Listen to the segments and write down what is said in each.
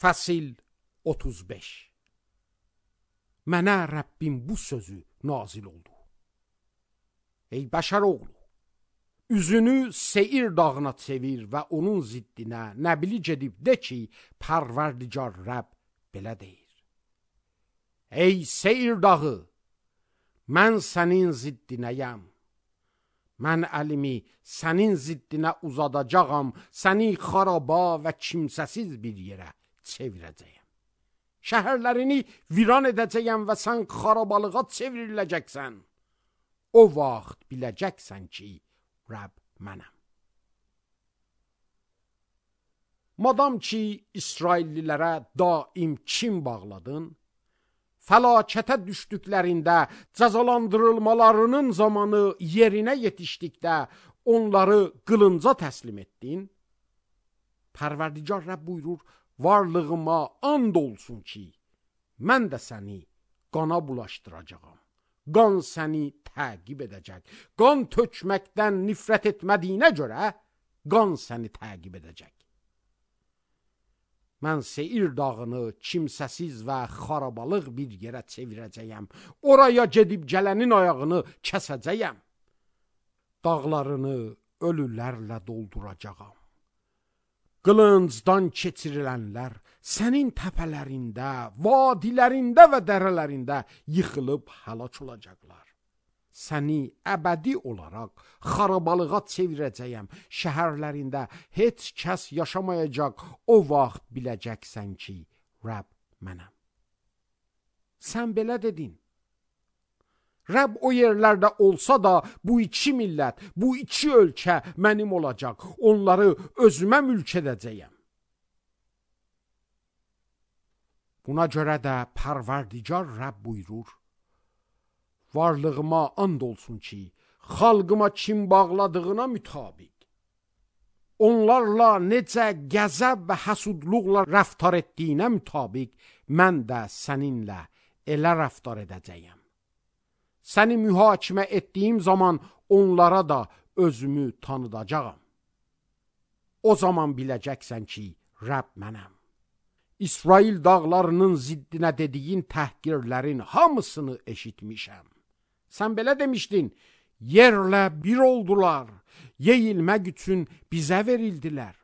Fəsil 35. Mənə Rəbbim bu sözü nazil oldu. Ey bəşər oğlu, üzünü Seir dağına çevir və onun ziddinə nəbili gedib de ki, Pərverdigar Rəbb belə deyir. Ey Seir dağı, mən sənin ziddinəyəm. Mən əlimi sənin ziddinə uzadacağam, səni xaraba və kimsəsiz bir yerə çevirəcəyəm. Şəhərlərini viran edəcəyəm və sən xarabalığa çevriləcəksən. O vaxt biləcəksən ki, Rəbb mənəm. Madam ki, İsraillilərə daim kin bağladın, fəlakətə düşdüklərində, cəzalandırılmalarının zamanı yerinə yetişdikdə onları qılınca təslim etdin. Pərverdigar Rəbb buyurur, varlığıma and olsun ki, mən də səni qana bulaşdıracağam. Qan səni təqib edəcək. Qan tökməkdən nifrət etmədiyinə görə qan səni təqib edəcək. Mən Seir dağını kimsəsiz və xarabalıq bir yerə çevirəcəyəm. Oraya gedib gələnin ayağını kəsəcəyəm. Dağlarını ölülərlə dolduracağam. Qılıncdan keçirilənlər sənin təpələrində, vadilərində və dərələrində yıxılıb həlak olacaqlar. Səni əbədi olaraq xarabalığa çevirəcəyəm. Şəhərlərində heç kəs yaşamayacaq. O vaxt biləcəksən ki, Rəbb mənəm. Sən belə dedin. Rəbb o yerlərdə olsa da bu iki millət, bu iki ölkə mənim olacaq. Onları özümə mülk edəcəyəm. Buna görə də Pərverdigar Rəbb buyurur, varlığıma and olsun ki, xalqıma kim bağladığına mütabiq, onlarla necə qəzəb və həsudluqla rəftar etdiyinə mütabiq, mən də səninlə elə rəftar edəcəyəm. Səni mühakimə etdiyim zaman onlara da özümü tanıdacağam. O zaman biləcəksən ki, Rəbb mənəm. İsrail dağlarının ziddinə dediyin təhqirlərin hamısını eşitmişəm. Sən belə demişdin, yerlə bir oldular, yeyilmək üçün bizə verildilər.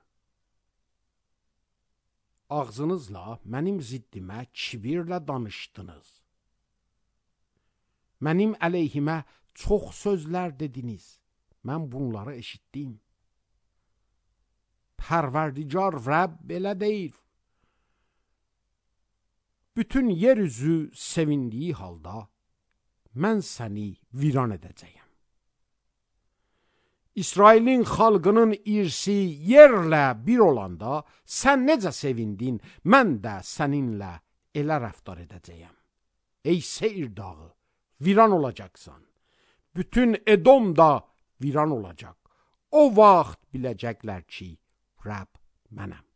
Ağzınızla mənim ziddimə kibirlə danışdınız. Mənim əleyhimə çox sözlər dediniz. Mən bunları eşitdim. Pərverdigar Rəbb belə deyir. Bütün yer üzü sevindiyi halda mən səni viran edəcəyəm. İsrailin xalqının irsi yerlə bir olanda sən necə sevindin, mən də səninlə elə rəftar edəcəyəm. Ey Seir dağı, viran olacaqsan. Bütün Edom da viran olacaq. O vaxt biləcəklər ki, Rəbb mənəm.